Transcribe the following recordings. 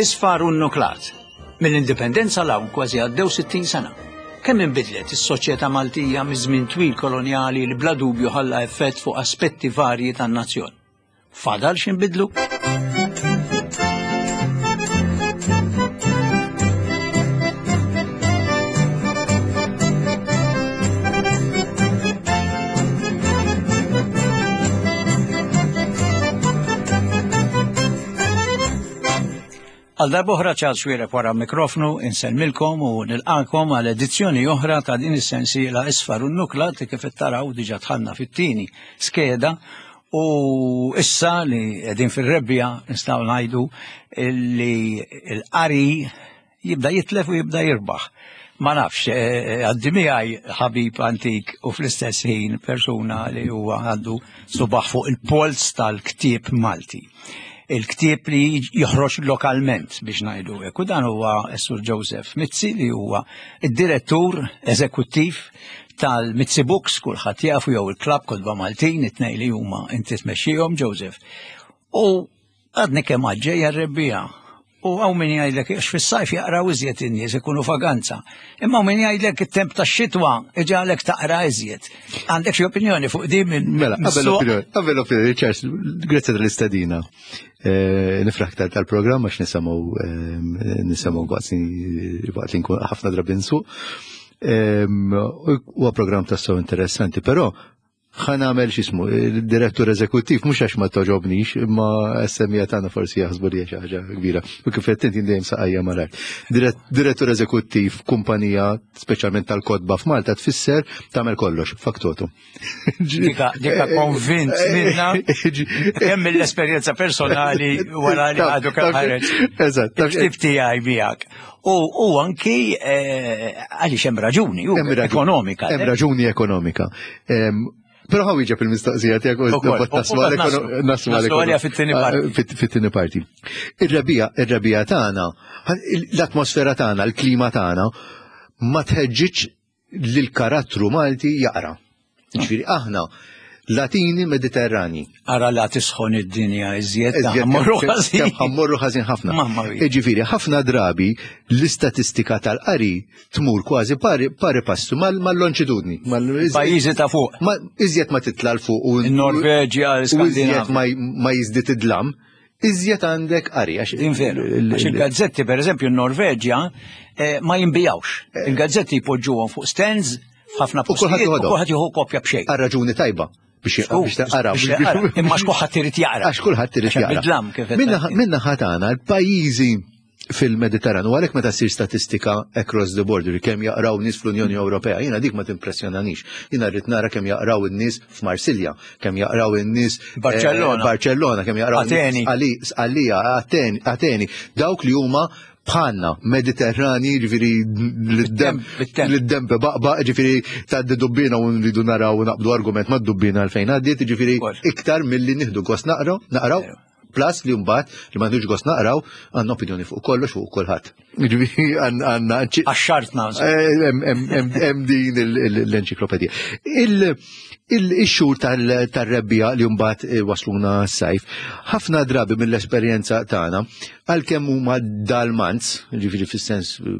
Isfar u nnuklat. Mill-Indipendenza 'l hawn kważi għaddew 60 sena. Kemm inbidlet is-soċjetà Maltija miż-żmien twil kolonjali li bla dubju ħalla effett fuq aspetti varji tan-nazzjon. Fadal x'inbidlu? Għal darb'oħra Charles Xuereb wara mikrofnu insellmilkom u nilqakom għal edizzjoni oħra ta' din is-sensiela Isfar u Nukla li kif taraw diġà dħalna fit-tieni skeda u issa li qegħdin fir-rebbija nistgħu ngħidu li l-qari jibda jitlef u jibda jirbaħ. Ma nafx, eh, eh, għaddi miegħi ħabib antik u fl-istess ħin persuna li huwa għandu subaħ fuq il-polz tal-ktieb Malti. Il-ktieb li joħroġ lokalment biex ngħidu hekk. U dan huwa s-Sur Joseph Mizzi li huwa id-direttur eżekuttiv tal-Mizzi Books, kulħadd jafu jew il-Klabb Kotba Maltin, it-tnejn li huma inti tmexxihom Joseph. U Għadni kemm għadġejja r-rebbiegħa u hawn min jgħidlek għax fis-sajf jaqraw iżjed in-nies ikunu vaganza. Imma hawn min jgħidlek it-temp tax-xitwa iġagħlek taqra iżjed. Għandek xi opinjoni fuq din minn Mela, qabel opinjoni, qabel opinjoni, Charles, grazzi tal-istedina. Eh, nifraħ tal-programm għax nisimgħu eh, nisimgħu waqt li nkun ħafna drabi nsuq. Eh, huwa programm tassew interessanti, però ħa nagħmel x'ismu, direttur eżekuttiv, mhux għax ma toġobnix, imma s-semija tagħna forsi jaħsbu li xi ħaġa kbira. U kif qed inti dejjem saqajja malajr. Direttur eżekuttiv kumpanija speċjalment tal-kotba f'Malta tfisser tagħmel kollox, faktotu. Dika dika konvint minna kemm mill-esperjenza personali wara li għadu kemm ħareġ. Eżatt. Ktib tiegħi miegħek. U anki eh, għaliex hemm raġuni ekonomika. Hemm raġuni ekonomika. Però ħaw iġeb il-mistoqsija tiegħek u naslu għalija fit-tieni ah, parti. Fit-tieni parti. Ir-rebija, ir-rebija tagħna, l-atmosfera tagħna, l-klima tagħna ma tħeġġiġ li l-karattru Malti jaqra. Ġifieri aħna Latini Mediterrani. Ara la tisħon id-dinja iżjed ħammorru ħażin. Ħammorru ħażin ħafna. Ġifieri ħafna drabi l-istatistika tal-qari tmur kważi pari, pari passu mal-lonġitudni. Pajjiżi ta' fuq. Iżjed ma titla' l fuq u Norveġja, Iżjed ma jiżdied id-dlam iżjed għandek qari. Din veru. Għax il-gazzetti, per eżempju, n-Norveġja eh, ma jimbijawx. Eh. Il-gazzetti jpoġġuhom fuq stands f'ħafna postijiet u kulħadd jieħu kopja b'xejn. Għal raġuni tajba biex taqra. Imma x'kulħadd irid jaqra. Għax kulħadd irid jaqra. Minna ħatana l-pajjiżi fil-Mediterran u għalhekk meta ssir statistika across the border kemm jaqraw nies fl-Unjoni Ewropea, jiena dik ma timpressjonanix. Jiena rrid nara kemm jaqraw in-nies f'Marsilja, kemm jaqraw in-nies eh, Barcellona, Barcellona, kemm jaqraw Ateni, Sqallija, Ateni, dawk li huma bħalna Mediterrani, ġifieri l-dem baqba, ġifieri ta' dubbina u nridu naraw u naqbdu argument ma' dubbina għalfejn għaddiet, ġifieri iktar milli nieħdu gost naqraw, naqraw Plus li mbagħad li m'għandux gost naqraw għandna opinjoni fuq kollox fuq kulħadd. Ġifieri għandna Għaxxartna. Eh, hemm din l-enċiklopedija. Il-xhur tal-rebbija li mbagħad eh, wasluna s-sajf, ħafna drabi mill-esperjenza tagħna għalkemm huma dal-manz, ġifieri fis-sens eh,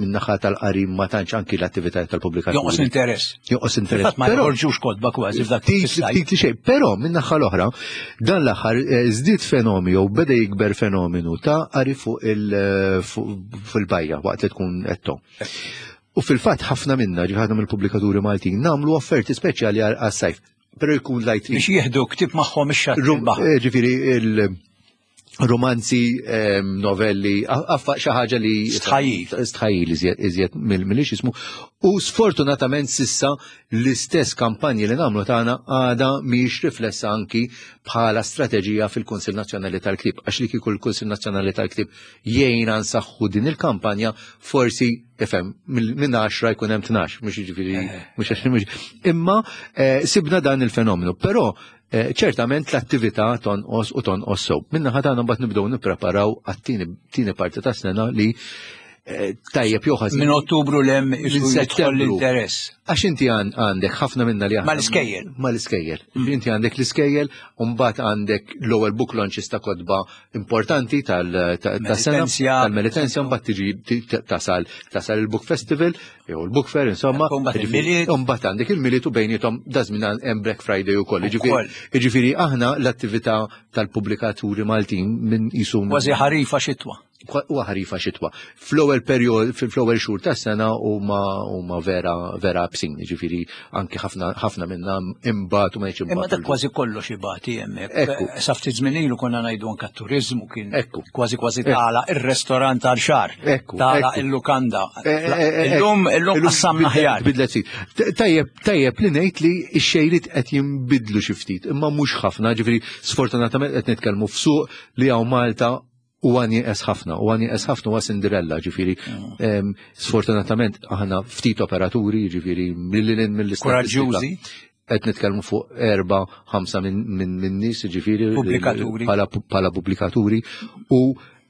min-naħa tal-qari ma tantx anki l-attività tal-pubblikazzjoni. Jonqos interess. Jonqos interess. Ma joħorġux kotba kważi f'dak Ftit xejn, però min-naħa l-oħra, dan l-aħħar eh, żdied fenomenu jew beda jikber fenomenu ta' qari fuq il-bajja waqt li tkun qed U fil-fatt ħafna minna, ġifieri mill-pubblikaturi Maltin, nagħmlu offerti speċjali għas-sajf pero jkun light Biex jieħdu ktib magħhom ix-xatt. Eh, ġifieri il- romanzi, ehm, novelli, affa xi ħaġa li stħajjil. Stħajjil iżjed mill jismu. U sfortunatament sissa l-istess kampanji li nagħmlu tagħna għada mhijiex riflessa anki bħala strateġija fil-Kunsill Nazzjonali tal-Ktieb. Għax li kieku l-Kunsill Nazzjonali tal-Ktieb jgħinna nsaħħu din il-kampanja forsi ifhem minn 10 jkun hemm 12, mhux jiġifieri eh. mhux Imma eh, sibna dan il-fenomenu, però eh, ċertament l-attività tonqos u tonqos sew. Minna ħadana mbagħad nibdew nippreparaw għat-tieni parti ta' sena li. eh, tajjeb jew ħażin. Minn Ottubru 'l hemm jidħol l-interess. Għax inti għandek ħafna minna li għandek. Mal-iskejjel. Mal-iskejjel. Inti għandek l-iskejjel, u mbagħad għandek l-ewwel book launches ta' kotba importanti tal-sena. Tal-Melitensia, mbagħad tiġi tasal tasal il-Book Festival, jew il-Book Fair, insomma. Mbagħad għandek il-Milied u bejnietom dażmin hemm Black Friday ukoll. Jiġifieri aħna l-attività tal-pubblikaturi Maltin minn jisum. Kważi ħarifa xitwa. Huwa ħarifa xitwa. Fl-ewwel perjod, fl-ewwel xhur tas-sena huma huma vera vera absin, jiġifieri anki ħafna ħafna minna imbagħad u ma jgħidx Imma dak kważi kollox ibati hemmhekk. Sa ftit żmien ilu konna ngħidu anke t-turiżmu kien kważi kważi tagħlaq ir-restorant għal xahar. Tagħlaq il-lukanda. Eh, eh, eh, illum illum qassamna aħjar. Bidlet ftit. Tajjeb tajjeb li ngħid li x-xejriet qed jinbidlu xi ftit, imma mhux ħafna, ġifieri sfortunatament qed nitkellmu f'suq li hawn Malta huwa nieqes ħafna, huwa nieqes ħafna huwa Cinderella, ġifieri mm. sfortunatament aħna ftit operaturi, ġifieri mill-lin mill-istatistika. Qed nitkellmu fuq erba' ħamsa minn nies, ġifieri pubblikaturi. Bħala pubblikaturi u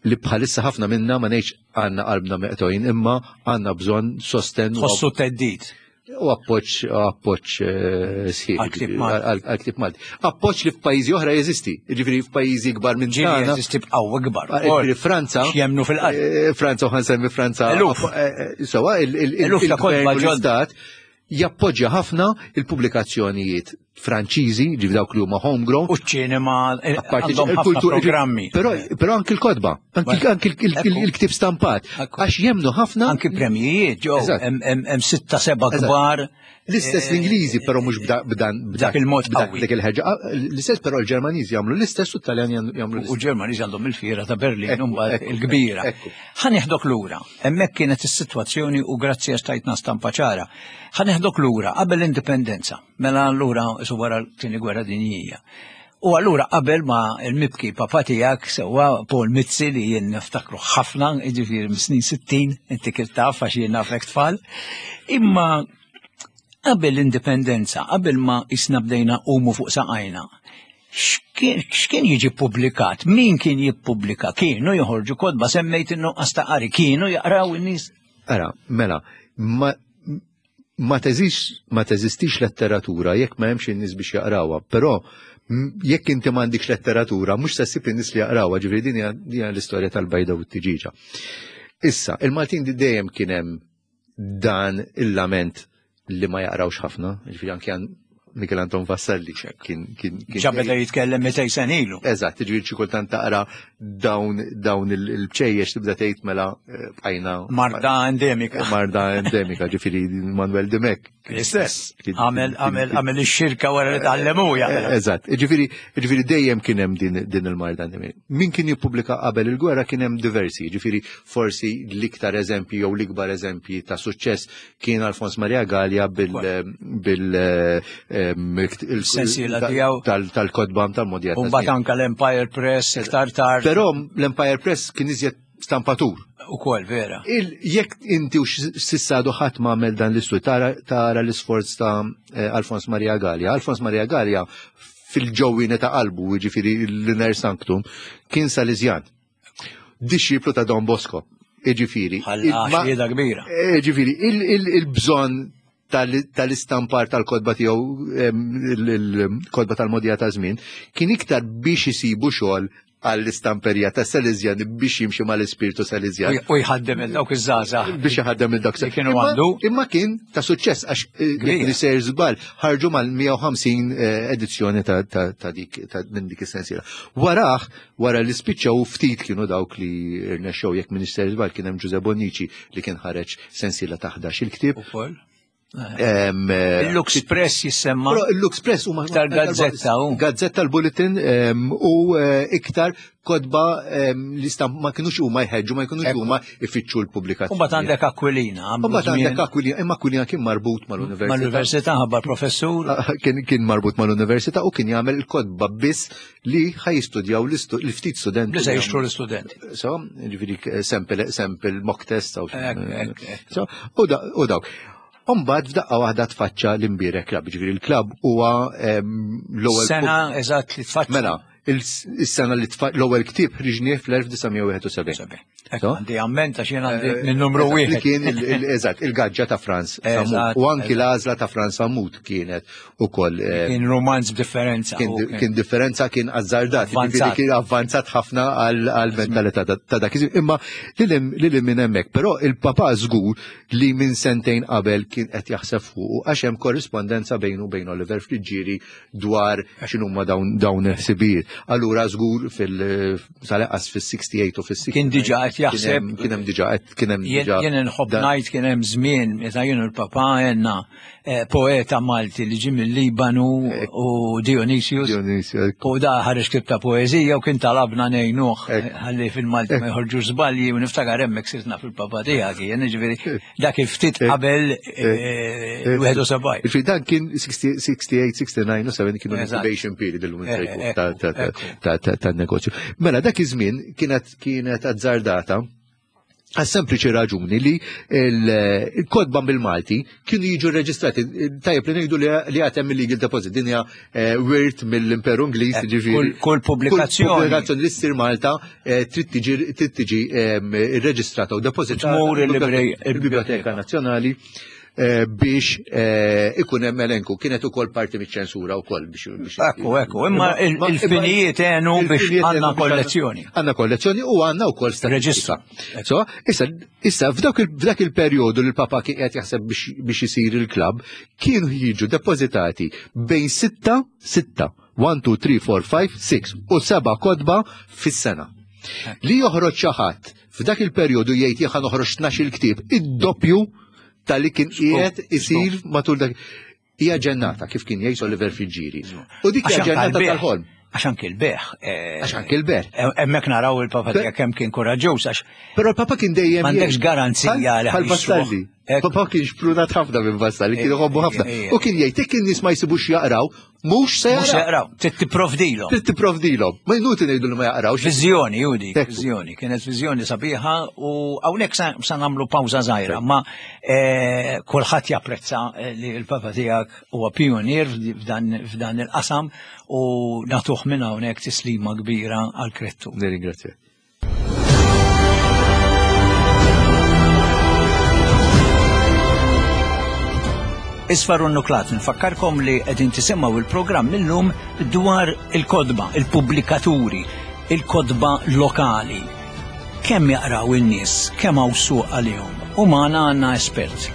li bħalissa ħafna minna ma ngħidx għandna qalbna meqtojn imma għandna bżonn sosten. Tħossu teddid. U appoġġ appoġġ eh, sħiħ għal-ktieb Malti. Appoġġ li f'pajjiżi oħra jeżisti, jiġifieri f'pajjiżi kbar minn tagħna. Jeżisti b'qawwa kbar. Ah, jiġifieri Franza. Jemnu fil-qalb. Eh, Franza u ħansemmi Franza. Eh, sewa il-gvern u l-istat jappoġġja ħafna il-pubblikazzjonijiet Franċiżi, ġifi dawk li huma homegrown. U ċ-ċinema, eh, għandhom ħafna programmi. Però anki l-kotba, anki il-ktib stampat, għax jemnu ħafna. Anki premjijiet, ġew, hemm sitta seba' kbar. L-istess eh, l-Ingliżi, però mhux b'dan b'dak il-mod dak il-ħeġa. Ah, l-istess però l-Ġermaniżi jagħmlu l-istess u t-Taljani jagħmlu U l-Ġermaniżi għandhom il-fiera ta' Berlin mbagħad il-kbira. Ħa nieħdok lura. Hemmhekk kienet is-sitwazzjoni u grazzi għax tajtna stampa ċara. Ħa neħdok lura qabel l-indipendenza. Mela allura su wara l-tieni gwerra dinjija. U allura qabel ma l-mibki papa tiegħek sewwa Paul Mizzi li jien niftakru ħafna, jiġifieri mis-snin 60, inti kif taf għax jien nafek tfal. Imma qabel l-indipendenza, qabel ma isna bdejna qumu fuq saqajna, x'kien jiġi publikat? Min kien jippubblika? Kienu joħorġu kotba semmejt in-nuqqas ta' qari, kienu jaqraw in-nies? Ara, mela, ma ma teżix ma teżistix letteratura jekk ma hemmx in-nies biex jaqrawha, però jekk inti m'għandikx letteratura mhux se ssib in-nies li jaqrawha, ġifieri din hija l-istorja tal-bajda u t-tiġiġa. Issa, il-Maltin dejjem kien hemm dan il-lament li ma jaqrawx ħafna, ġifieri anke Mikel Anton Vassalli kien kien ġabeda jitkellem 200 sen ilu. Eżatt, ġifieri xi kultant taqra dawn dawn il-bċejjex tibda tgħid mela eh, bqajna Marda endemika. Marda endemika, ġifieri Manuel Dimek. L-istess. Għamel għamel għamel ix-xirka wara li tgħallemu eh, Eżatt, ġifieri ġifieri dejjem kien hemm din din il-marda endemika. Min kien jippubblika qabel il-gwerra kien hemm diversi, ġifieri forsi l-iktar eżempji jew l-ikbar eżempji ta' suċċess kien Alfons Maria Gallia bil bil sensiela tiegħu tal-kotba tal-modja. U mbagħad anke l-Empire Press iktar tard. Però l-Empire Press kien iżjed stampatur. Ukoll vera. Jekk inti u sissa għadu ħadd ma għamel dan l-istudju tara l-isforz ta' eh, Alfons Maria Gallia. Alfons Maria Gallia fil-ġewwini ta' qalbu, jiġifieri l-Inner Sanctum, kien Salesian. Dixxiplu ta' Don Bosco. Iġifieri. Ħalla kbira. Iġifieri, il-bżonn tal-istampar tal-kodba tiegħu il-kodba tal-modija ta' żmien kien iktar biex isibu xogħol għall-istamperija ta' Salesian biex jimxi mal-ispirtu Salesian. U jħaddem il dawk iż-żgħażagħ. Biex jħaddem il dawk. Kienu għandu. Imma kien ta' suċċess għax eh, li sejr żball ħarġu mal-150 eh, edizzjoni ta' dik minn dik is-sensiela. Waraħ Wara li spiċċaw ftit kienu dawk li rnexxew jekk m'iniex sejjer żball kien hemm Ġuże Bonnici li kien ħareġ sensiela ta' 11 il-ktieb. Ukoll. Eh, Il-Lux Press jissemma. Però il-Lux Press huma iktar gazzetta u. Gazzetta l-Bulletin u eh, iktar kodba li stamp ma kienux huma jħeġġu, ma jkunux huma ifittxu l-pubblikazzjoni. U mbagħad għandek Aquilina. U mbagħad għandek Aquilina, imma Aquilina kien marbut mal-università. Mal-università ħabbar professur. Ah, kien marbut mal-università u kien jagħmel il-kodba biss li ħaj jistudjaw l-ftit studenti. Li se jixtru l-istudenti. So, ġifiri sample, sample mock test. So, u dawk. Umbad f'daqqa waħda tfaċċa l-imbierek klab, ġifiri l-klab huwa l-ewwel. Sena eżatt li tfaċċa. Mela, il-sena li l-ewwel ktieb ħriġnieh fl-1971. Għandi amment għax jien għandi minn numru wieħed. Kien eżatt, il-gaġġa ta' Franz Sammut. U anki l-għażla ta' Franz Sammut kienet ukoll. Eh, kien romanz b'differenza. Kien differenza kien azzardat, kien avvanzat ħafna għal-mentalità ta' dak. Imma lil minn hemmhekk, però il-papa żgur li minn sentejn qabel kien qed jaħseb fuq għax hemm korrispondenza bejnu bejn Oliver Friggieri dwar x'inhuma dawn dawn il-ħsibijiet. Allura żgur fil sal-eqqas fis-68 u fis-60. Kien diġà qed jaħseb. Kien hemm diġà qed kien hemm diġà. Jien inħobb ngħid kien hemm żmien meta jien u l-papà għenna eh, poeta Malti li ġie mill-Libanu eh, u Dionysius. Dionysius. U da ħareġ ktieb ta' poeżija u kien talabna ngħinuh eh, ħalli fil-Malti ma jħorġux żbalji u niftakar hemmhekk sirtna fil-papà tiegħek jien jiġifieri dak il-ftit qabel 71. Ġifieri dan kien 68, 69 u 7 kienu incubation period illum ta' negozju. Mela dak iż-żmien kienet kienet azzardata għas sempliċi raġuni li il-kodba bil-Malti kienu jiġu reġistrati. Tajjeb li ngħidu li għatem il-legal deposit, din hija eh, wirt mill-Imperu Ingliż, eh, ġifieri. Kull pubblikazzjoni. Pubblikazzjoni li ssir Malta eh, trid tiġi ehm, irreġistrata u depożitata. Tmur il-Biblioteka Nazzjonali biex ikun hemm elenku. Kienet ukoll parti miċ-ċensura wkoll biex. Ekku, ekku, imma il-finijiet għenu biex għandna kollezzjoni. Għandna kollezzjoni u għandna wkoll statistika. So, issa, issa f'dak il-perjodu li l-Papa kien qed jaħseb biex isir il-klabb, kienu jiġu depożitati bejn 6, 6, 1, 2, 3, 4, 5, 6 u 7 kodba fis-sena. Li joħroġ xi ħadd f'dak il-perjodu jgħid jien noħroġ 12 il-ktieb, id-doppju tal-li kien qiegħed isir matul dak. Hija ġennata kif kien jgħid Oliver Fiġġieri. U dik hija ġennata tal-ħolm. Għax anki l-beħ. Eh, għax anki l-beħ. Eh, hemmhekk naraw il-papa tiegħek kemm kien kuraġġuż għax. Però l-papa kien dejjem. M'għandekx garanzija li Vastalli. Papa kien xprunat ħafna minn Vastalli, kien iħobbu ħafna. U kien jgħid jekk in-nies ma jsibux jaqraw, mhux se jaqraw. Trid tipprovdilhom. Trid tipprovdilhom. Ma jnuti ngħidu li ma jaqrawx. Viżjoni, Judi, viżjoni. Kienet viżjoni sabiħa u hawnhekk sa nagħmlu pawża żgħira, ma eh, kulħadd japprezza li l-papa tiegħek huwa pionier f'dan il-qasam u nagħtuh minn hawnhekk tislima kbira għal krettu. Nirringrazzjak. Isfar u nuklat nfakkarkom li qegħdin tisimgħu il-programm illum dwar il-kodba, il-pubblikaturi, il-kodba lokali. Kemm jaqraw in-nies, kemm hawn suq għalihom. U magħna għandna espert,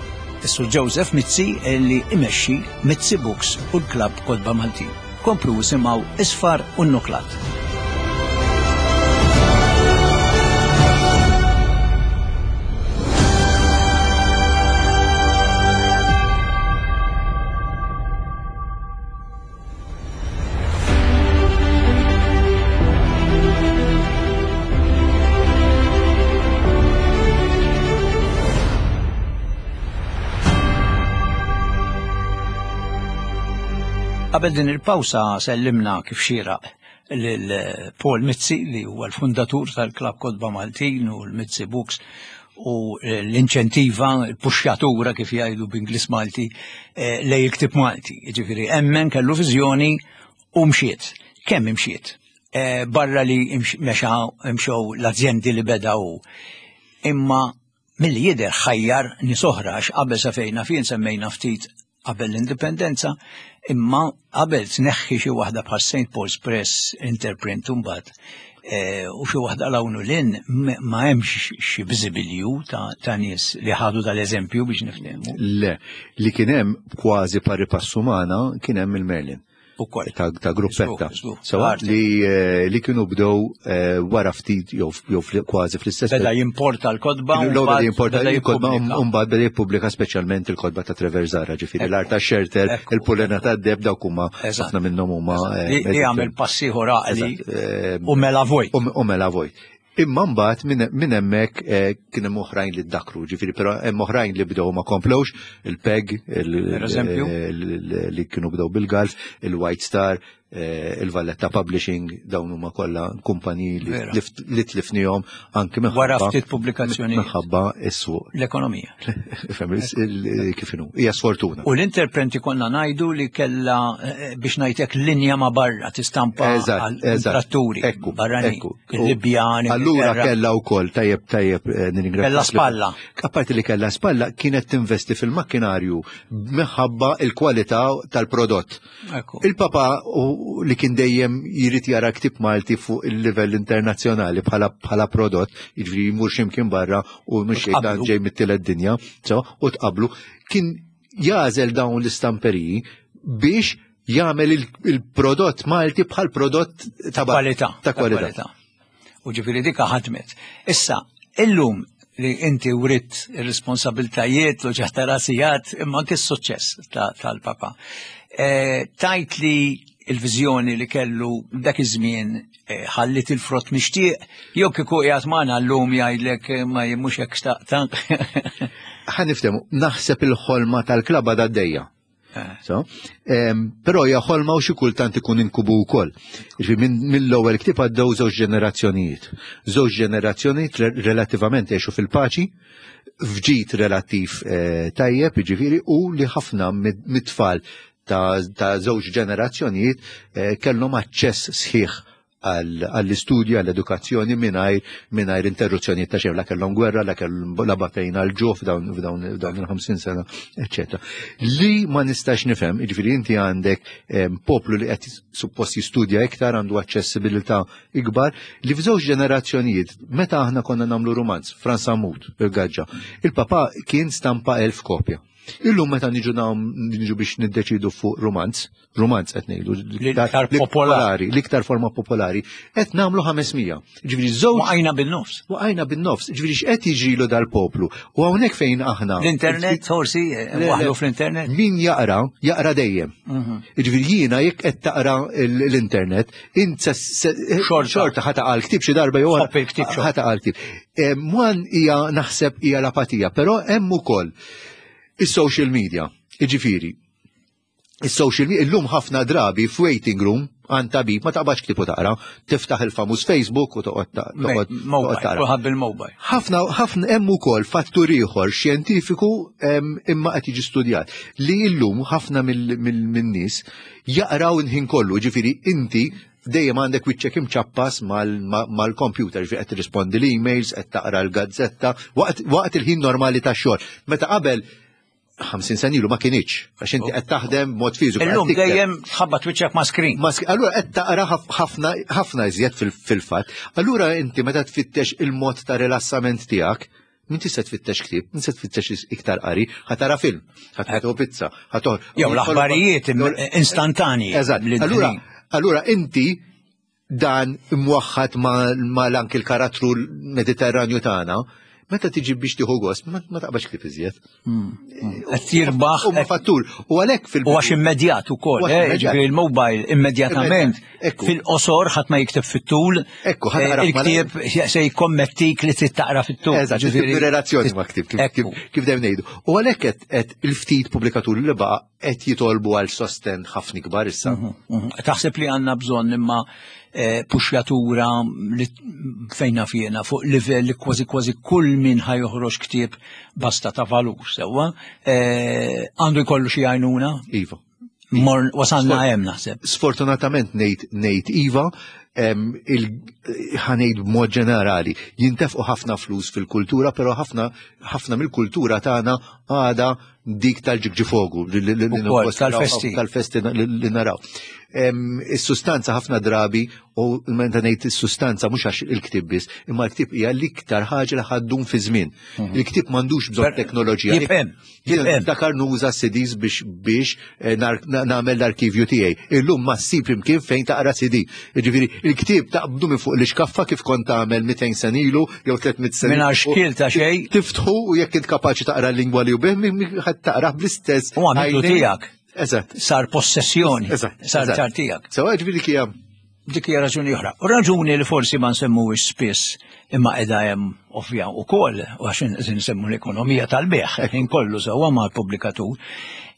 is-Sur Joseph Mizzi li imexxi Mizzi Books u l-Klabb Kotba Maltin. Komplu isimgħu Isfar u Nuklat. Qabel din il-pawsa sellimna kif xieraq lil Paul Mizzi li huwa l-fundatur tal-Klabb Kotba Maltin u l-Mizzi Books u l-inċentiva, l-puxxatura kif jgħidu b'Inglis Malti eh, lej il-ktib Malti. Ġifieri emmen kellu viżjoni u mxiet. Kemm imxiet? Eh, barra li mexa imxew l-azjendi li beda hu. Imma milli jidher ħajjar nies oħra għax qabel sa fejna fien semmejna ftit qabel l-indipendenza, imma qabel tneħħi xi waħda bħal St. Paul's Press Interprint imbagħad eh, u xi waħda l hawn u lin ma hemmx xi biżibilju ta' nies li ħadu dal-eżempju biex niftehmu. Le, li kien hemm kważi pari passu magħna kien hemm il-Merlin. Ukoll. Ta' gruppetta. Sewa li, eh, li kienu bdew eh, wara ftit jew kważi fl-istess. Beda jimporta l-kodba. L-ewwel jimporta l-kodba u mbagħad beda jippubblika speċjalment il-kodba ta' Trevor Zara, ġifieri l-art ta' Xerter, il-pulena ta' Deb dawk huma ħafna minnhom huma. Eh, li għamel passiħor għaqli u mela vojt. U mela vojt. Imma mbagħad minn hemmhekk eh, kien hemm oħrajn li ddakru, ġifieri però hemm oħrajn li bdew ma komplewx, il-PEG, li kienu bdew bil-Galf, il-White Star. il-Valletta Publishing, dawn huma kollha kumpaniji li tlifnihom anki minħabba. Wara ftit pubblikazzjoni. Minħabba is-suq. L-ekonomija. Kif inhu, hija sfortuna. U l-interprenti konna ngħidu li kellha eh, biex ngħidlek linja ma' barra tistampa għal-tratturi barrani. Il-Libjani. Allura kellha wkoll tajjeb tajjeb eh, nirringrazzja. Kellha spalla. Apparti li kellha spalla kienet tinvesti fil-makkinarju minħabba il-kwalità tal-prodott. Il-papa li kien dejjem jrid jara ktib Malti fuq il-livell internazzjonali bħala prodott, jiġifieri jmur x'imkien barra u mhux dan ġej mit-tielet dinja, so, u tqablu, kien jażel dawn l-istamperiji biex jagħmel il-prodott Malti bħal prodott ta' kwalità. Ta' kwalità. U ġifieri dika ħadmet. Issa, illum li inti writ ir-responsabiltajiet u ġaħta rasijat imma anke s-suċċess tal-papa. E, tajt li il-viżjoni li kellu dak iż-żmien e, ħallit il-frott mixtieq, jew kieku qiegħed magħna llum jgħidlek e, ma mhux hekk xtaqta. Ħa niftehmu, naħseb il-ħolma tal-klaba d-dejja. Eh. So, però hija ħolma u xi kultant ikun inkubu wkoll. Jiġifieri mill-ewwel ktieb għaddew żewġ ġenerazzjonijiet. Żewġ ġenerazzjonijiet relattivament għexu fil-paċi, fġid relattiv eh, tajjeb, jiġifieri, u li ħafna mit-tfal ta' żewġ ġenerazzjonijiet eh, kellhom aċċess sħiħ għall-istudju, għall-edukazzjoni mingħajr mingħajr interruzzjonijiet ta' xejn, la kellhom gwerra, la kellhom la batejna l-ġuħ f'dawn f'dawn il-50 sena, eċċetera. Li ma nistax nifhem, jiġifieri inti għandek poplu li qed suppost jistudja iktar, għandu aċċessibilità ikbar, li f'żewġ ġenerazzjonijiet, meta aħna konna nagħmlu rumanz, Frans Sammut, il-Gaġġa, il-papa kien stampa 1000 kopja. Illum meta niġu niġu biex niddeċidu fuq rumanz, rumanz qed ngħidu l-iktar popolari, l-iktar forma popolari, qed nagħmlu 500. Ġifieri żewġ Waqajna bin-nofs. Waqajna bin-nofs, ġifieri x'qed jiġrilu dal-poplu. U hawnhekk fejn aħna. L-internet forsi eh, waħlu fl-internet. Min jaqra, jaqra dejjem. Mhm. Ġifieri jiena jekk qed taqra l-internet, int xorta ħa taqa' l-ktieb xi darba jew ħa taqa' l-ktieb. Mwan hija naħseb hija l-apatija, però hemm ukoll is-social media. Iġifieri, is-social media illum ħafna drabi f'waiting room għand tabib ma taqbadx ktieb u taqra, tiftaħ il-famuż Facebook u toqgħod toqgħod taqra. bil-mobile. Ħafna ħafna hemm ukoll fattur ieħor xjentifiku imma qed jiġi studjat li illum ħafna mill-nies jaqraw il-ħin kollu, ġifieri inti dejjem għandek wiċċek imċappas mal-computer, ġifieri qed tirrispondi l-emails, qed taqra l-gazzetta, waqt il-ħin normali tax-xogħol. Meta qabel 50 sena ilu ma kinitx, għax inti qed taħdem mod fiżiku. Illum dejjem tħabbat wiċċek ma' screen. Allura qed taqra ħafna ħafna iżjed fil-fatt. Allura inti meta tfittex il-mod ta' rilassament tiegħek, Min tista' tfittex ktieb, min se tfittex iktar qari, ħa tara film, ħa tieħu pizza, ħa toħ. Jew l-aħbarijiet instantani. Eżatt. Allura, allura inti dan imwaħħad ma l-anki l-karattru mediterranju tagħna, meta tiġi biex tieħu gost, ma taqbax ktieb iżjed. Qed jirbaħ. Huma fattur. U għalhekk fil- U għax immedjat ukoll, eh, ġifieri il-mobile immedjatament fil-qosor ħadd ma jikteb fit-tul. Ekku, eh, il-ktieb se jkommettik li trid taqra fit-tul. Eżatt, ġifieri relazzjoni ma' ktieb kif dejjem ngħidu. U għalhekk qed il-ftit pubblikaturi li baqa' qed jitolbu għal sosten ħafna ikbar issa. Mhm, mhm. Taħseb li għandna bżonn imma eh, puxjatura li fejna fjena fuq livell li kważi kważi kull min ħajoħroġ ktieb basta ta' valur sewwa, eh, għandu jkollu xi għajnuna? Iva. Mor wasalna hemm naħseb. Sfortunatament ngħid ngħid iva, ħanejt b'mod ġenerali, jintefqu ħafna flus fil-kultura, però ħafna ħafna mill-kultura tagħna għada dik tal-ġigġifogu tal-festi tal-festi li naraw. Is-sustanza ħafna drabi u meta ngħid is-sustanza mhux għax il-ktieb biss, imma l-ktieb hija l-iktar ħaġa li ħaddum fi żmien. Mhm. Il-ktieb m'għandux bżonn teknoloġija. Jien dakar nuża CDs biex biex eh, nagħmel l-arkivju tiegħi. Illum ma ssib imkien fejn taqra CD. Jiġifieri il-ktieb taqbdu minn fuq l-iskaffa kif kont tagħmel 200 sen ilu jew 300 sen. Mingħajr xkiel ta' xejn. Tiftħu u jekk int kapaċi taqra l-lingwa li bih ħadd taqra bl-istess. U għamiltu tiegħek. Eżatt. Sar possessjoni. Eżatt. Sar sar tiegħek. Sewa ġifieri kija. Dik hija raġuni oħra. U raġuni li forsi ma nsemmuhiex spiss imma qiegħda hemm ovvja wkoll u għax nsemmu l-ekonomija tal-beħ, ħin kollu sewwa mal-pubblikatur,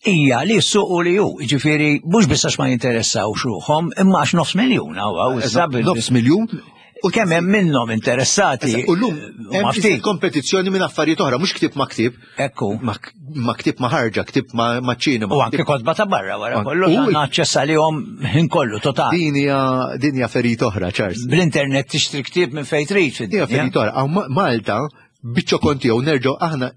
hija li s-suq u li hu, jiġifieri mhux biss għax ma jinteressawx ruħhom, imma għax nofs miljun hawn issa nofs miljun U kemm hemm minnhom interessati. U llum hemm ftit kompetizzjoni minn affarijiet oħra, mhux ktieb ma' ktieb. Ekku. Ma' ktieb ma' ħarġa, ktieb ma' ċinema. U anke kotba ta' barra wara kollu għandna aċċess għalihom ħin kollu total. Din hija din hija ferit oħra, Charles. Bl-internet tixtri ktieb minn fejn trid. Hija ferit oħra. Malta biċ-ċokon tiegħu nerġgħu aħna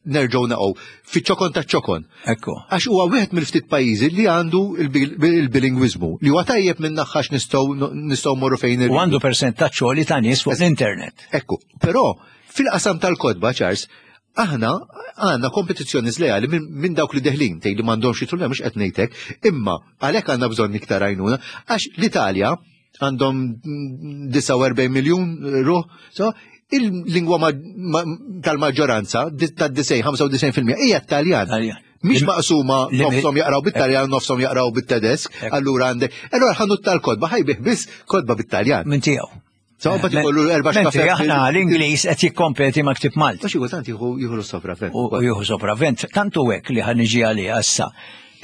nerġgħu naqgħu fiċ-ċokon taċ-ċokon. Ekku. Għax huwa wieħed mill-ftit pajjiżi li għandu il-bilingwiżmu li huwa tajjeb minn naħħax nistgħu nistgħu morru fejn U għandu persentaġġ għoli ta' nies fuq l-internet. Ekku, però fil-qasam tal-kodba, Charles, aħna għandna kompetizzjoni żlejali minn dawk li deħlin tgħid li m'għandhomx jidħlu mhux qed ngħidlek, imma għalhekk għandna bżonn iktar għajnuna għax l-Italja għandhom 49 miljun ruħ, so, il-lingwa tal-maġġoranza tad-90 95% hija t-Taljan. Mhix maqsuma nofshom jaqraw bit-Taljan, nofshom jaqraw bit-Tedesk, allura għandek. Allura ħanut tal-kodba ħajbih biss kodba bit-Taljan. Minn tiegħu. So, bat ikollu erba' xkafet. Aħna l-Ingliż qed jikkompeti ma' ktib Malti. Xi kultant jieħu sopravvent. U jieħu sopravvent. Tantu hekk li ħan niġi għalih issa.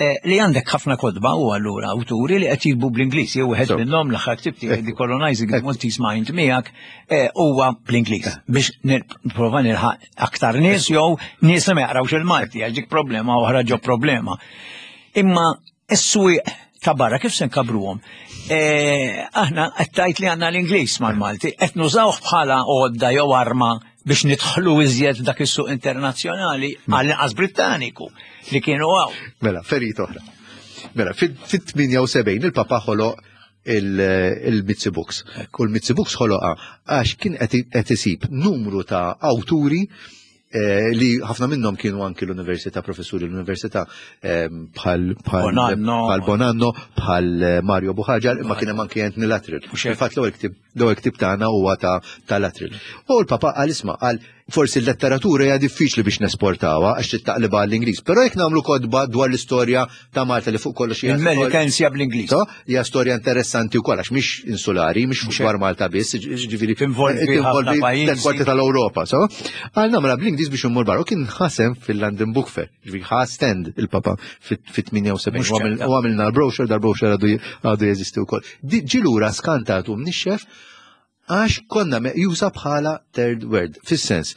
Eh, li għandek ħafna kodba u allura awturi li qed jikbu bl-Ingliż, jew wieħed minnhom l-aħħar ktib tiegħi The Colonizing the Maltese Mind miegħek eh, huwa bl-Ingliż biex nipprova nilħaq aktar nies jew nies li ma jaqrawx il-Malti għax dik problema oħra ġo problema. Imma is-swieq ta' barra kif se nkabruhom? Eh, aħna qed tgħid li għandna l-Ingliż mal-Malti, qed nużawh bħala għodda jew arma biex nidħlu iżjed f'dak is-suq internazzjonali hmm. għall-inqas Brittaniku li kienu għaw. Mela, ferit oħra. Mela, fit-78 il-Papa ħoloq il-Mitzi Books. U l-Mitzi Books ħoloqa għax kien qed isib numru ta' awturi eh, li ħafna minnhom kienu anki l-università, professuri l-università eh, bħal Bonanno, bħal eh, Mario Buħaġar, imma kien hemm anki Anthony Latril. Fil-fatt l-ewwel ktieb L-ewwel ktieb tagħna huwa ta' tal-Atril. U l-Papa qal isma' qal forsi l-letteratura hija diffiċli biex nesportawha għax trid taqlibha għall-Ingliż, però jekk nagħmlu kotba dwar l-istorja ta' Malta li fuq kollox hija Il-Melikensja bl-Ingliż. Hija storja interessanti wkoll għax mhix insulari, mhix fuq dwar Malta biss, ġifieri tinvolvi pajjiżi tal-Ewropa, so. Qal nagħmilha bl-Ingliż biex immur barra u kien ħasem fil-London Book Fair. Ġifieri ħa stand il-Papa fit-78 u għamilna l-brochure, dal-brochure għadu jeżisti wkoll. Ġi lura skantat u mnixxef għax konna meqjusa bħala third world. Fis-sens,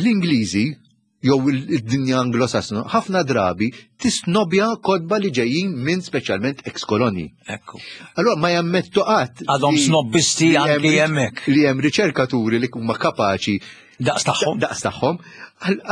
l-Ingliżi jew id-dinja anglosassona ħafna drabi tisnobja kodba li ġejjin minn speċjalment ex-kolonji. Ekku. Allora ma jammettu qatt. Għadhom snobbisti anki hemmhekk. Li hemm riċerkaturi li huma kapaċi Daqs tagħhom. Daqs tagħhom.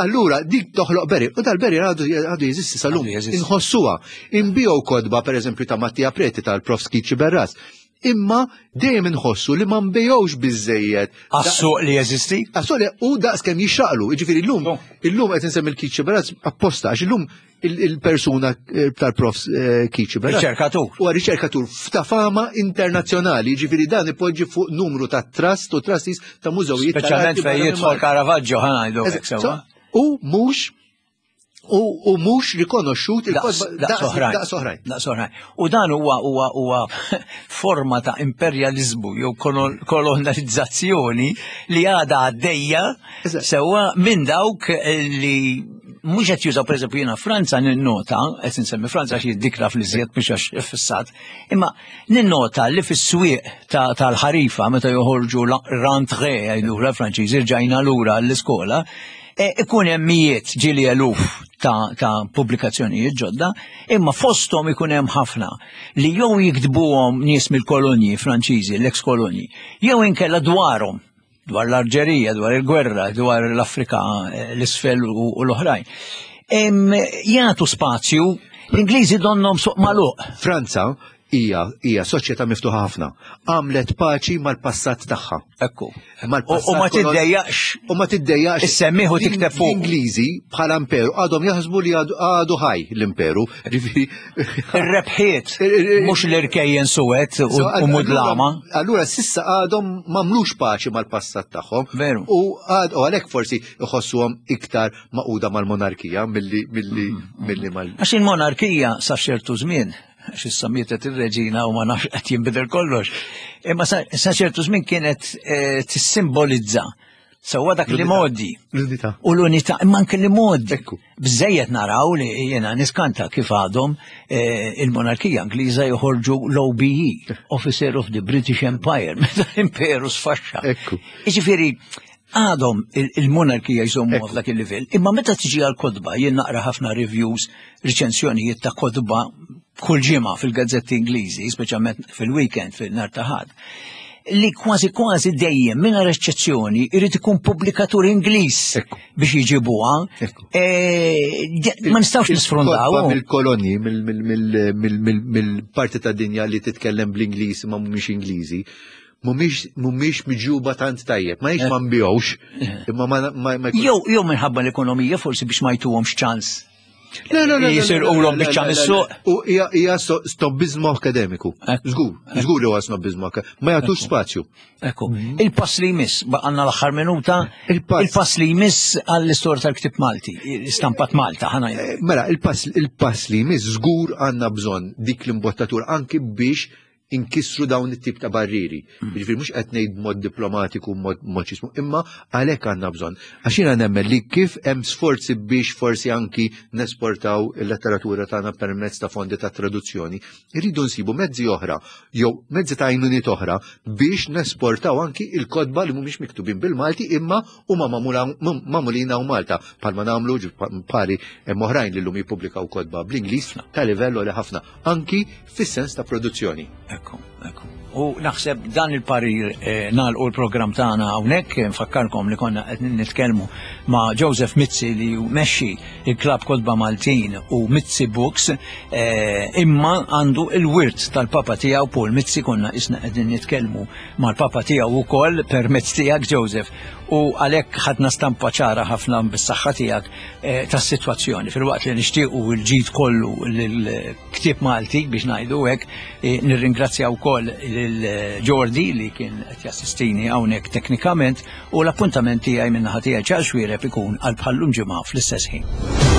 Allura dik toħloq beri, u dal-beri għadu jeżisti sal-lum. Inħossuha. Imbijow kodba pereżempju ta' Mattia Preti tal-Prof Skiċi Berras. Imma dejjem inħossu li ma nbejgħux biżejjed. Għas-suq li jeżisti? Għas-suq li u daqs kemm jixraqlu. Jiġifieri llum, illum qed insemmi l-Kiċi Berras apposta għax illum il-persuna eh, tal-prof eh, Kiċi. Riċerkatur. U riċerkatur ta' fama internazzjonali, ġifiri dan ipoġġi fuq numru ta' trust u trustees ta' mużewijiet. Speċjalment fejn jidħol Caravaggio ħanajdu. U mhux u mhux rikonoxxut il-daqs oħrajn. Daqs oħrajn. U dan huwa huwa huwa forma ta' imperjaliżmu jew kolonizzazzjoni li għadha għaddejja sewwa minn dawk li mhux qed jużaw pereżempju jiena Franza ninnota, qed insemmi Franza għax jiddikra fl-iżjed mhux għax fissat, imma ninnota li fis-swieq tal-ħarifa meta joħorġu rentrée jgħidu l-Franċiżi rġajna lura l-iskola, e, ikun hemm mijiet ġieli eluf ta', ta pubblikazzjonijiet ġodda, imma fosthom ikun hemm ħafna li jew jiktbuhom nies mill-kolonji Franċiżi, l-eks kolonji, jew inkella dwarhom dwar l-Arġerija, dwar il-gwerra, dwar l-Afrika eh, l-isfel u l-oħrajn. Jagħtu spazju, l-Ingliżi donnom suq magħluq. Franza hija hija soċjetà miftuħa ħafna. Għamlet paċi mal-passat tagħha. Ekku. U ma tiddejjaqx. U ma tiddejjaqx. Issemmiħ u tikteb fuq. L-Ingliżi bħala imperu għadhom jaħsbu li għadu ħaj l-imperu. Ir-rebħiet mhux l-irkejjen suwed u mudlama. Allura sissa għadhom m'għamlux paċi mal-passat tagħhom. Veru. U għalhekk forsi iħossuhom iktar maquda mal-monarkija milli milli mm, mm. milli mal. Għax il-monarkija sa ċertu żmien. għax issa mietet ir-reġina u ma nafx qed jinbidel kollox. Imma sa ċertu żmien kienet eh, tissimbolizza sewwa dak li modi. L-unità. U l-unità, imma anke li modi. Bżejjed naraw li jiena niskanta kif għadhom eh, il-monarkija Ingliża joħorġu l-OBE, Officer of the British Empire, meta l-imperu sfaxxa. Ekku. Jiġifieri, għadhom il-monarkija jżommu f'dak il-livell. Imma meta tiġi għal kodba, jien naqra ħafna reviews, riċensjonijiet ta' kodba kull ġimgħa fil-gazzetti Ingliżi, speċjalment fil-weekend, fil-nar ta' ħadd, li kważi kważi dejjem mingħajr eċċezzjoni irid ikun pubblikatur Ingliż biex jġibuha. E, ma nistgħux nisfrundaw. Mill-kolonji, mill-parti ta' dinja li titkellem bl-Ingliż ma mhumiex Ingliżi, mhumiex miġjuba tant tajjeb, ma jiex ma nbihux, imma ma Jew jew minħabba l-ekonomija forsi biex ma jtuhomx ċans. Le, le, le, Jisirqulhom biċċa mis-suq. U hija snobbizmu akademiku. Żgur, żgur li huwa snobbizmu akademiku. Ma jagħtux spazju. Ekku. Mhm. Il-pass li jmiss, baqanna l-aħħar minuta, il-pass li jmiss għall-istorja tal-ktib Malti, stampat Malta, ħana. Eh, mela, il-pass li jmiss żgur għandna bżonn dik l-imbottatur anki biex inkissru dawn it-tip ta' barriri. Mm. Jiġifieri mhux qed ngħid b'mod diplomatiku, mod xismu, imma għalhekk għandna bżonn. Għax jiena nemmen li kif hemm sforzi biex forsi anki nesportaw il-letteratura tagħna permezz ta' fondi ta' traduzzjoni, irridu nsibu mezzi oħra jew mezzi ta' għajnuniet oħra biex nesportaw anki il-kotba li mhumiex miktubin bil-Malti imma huma magħmulin hawn Malta bħalma nagħmlu pari hemm oħrajn li llum jippubblikaw kotba bl-Ingliż ta' livell li ħafna anki fis-sens ta' produzzjoni. Ekku, ekku. U naħseb dan il-parir eh, nagħlqu l-programm tagħna hawnhekk, nfakkarkom li konna qed nitkellmu ma' Joseph Mizzi li mexxi il-Klabb Kotba Maltin u Mizzi Books, eh, imma għandu il-wirt tal-papa tiegħu Paul Mizzi konna isna qegħdin nitkellmu mal-papa tiegħu wkoll permezz tiegħek Joseph u għalhekk ħadna stampa ċara ħafna bis-saħħa tiegħek eh, tas-sitwazzjoni filwaqt li nixtiequ l-ġid kollu lil ktieb Malti biex ngħidu hekk, e, nirringrazzja wkoll lil Jordi li kien qed jassistini hawnhekk teknikament u l-appuntament tiegħi min-naħa tiegħi Charles Xuereb ikun għal bħallum ġimgħa fl-istess ħin.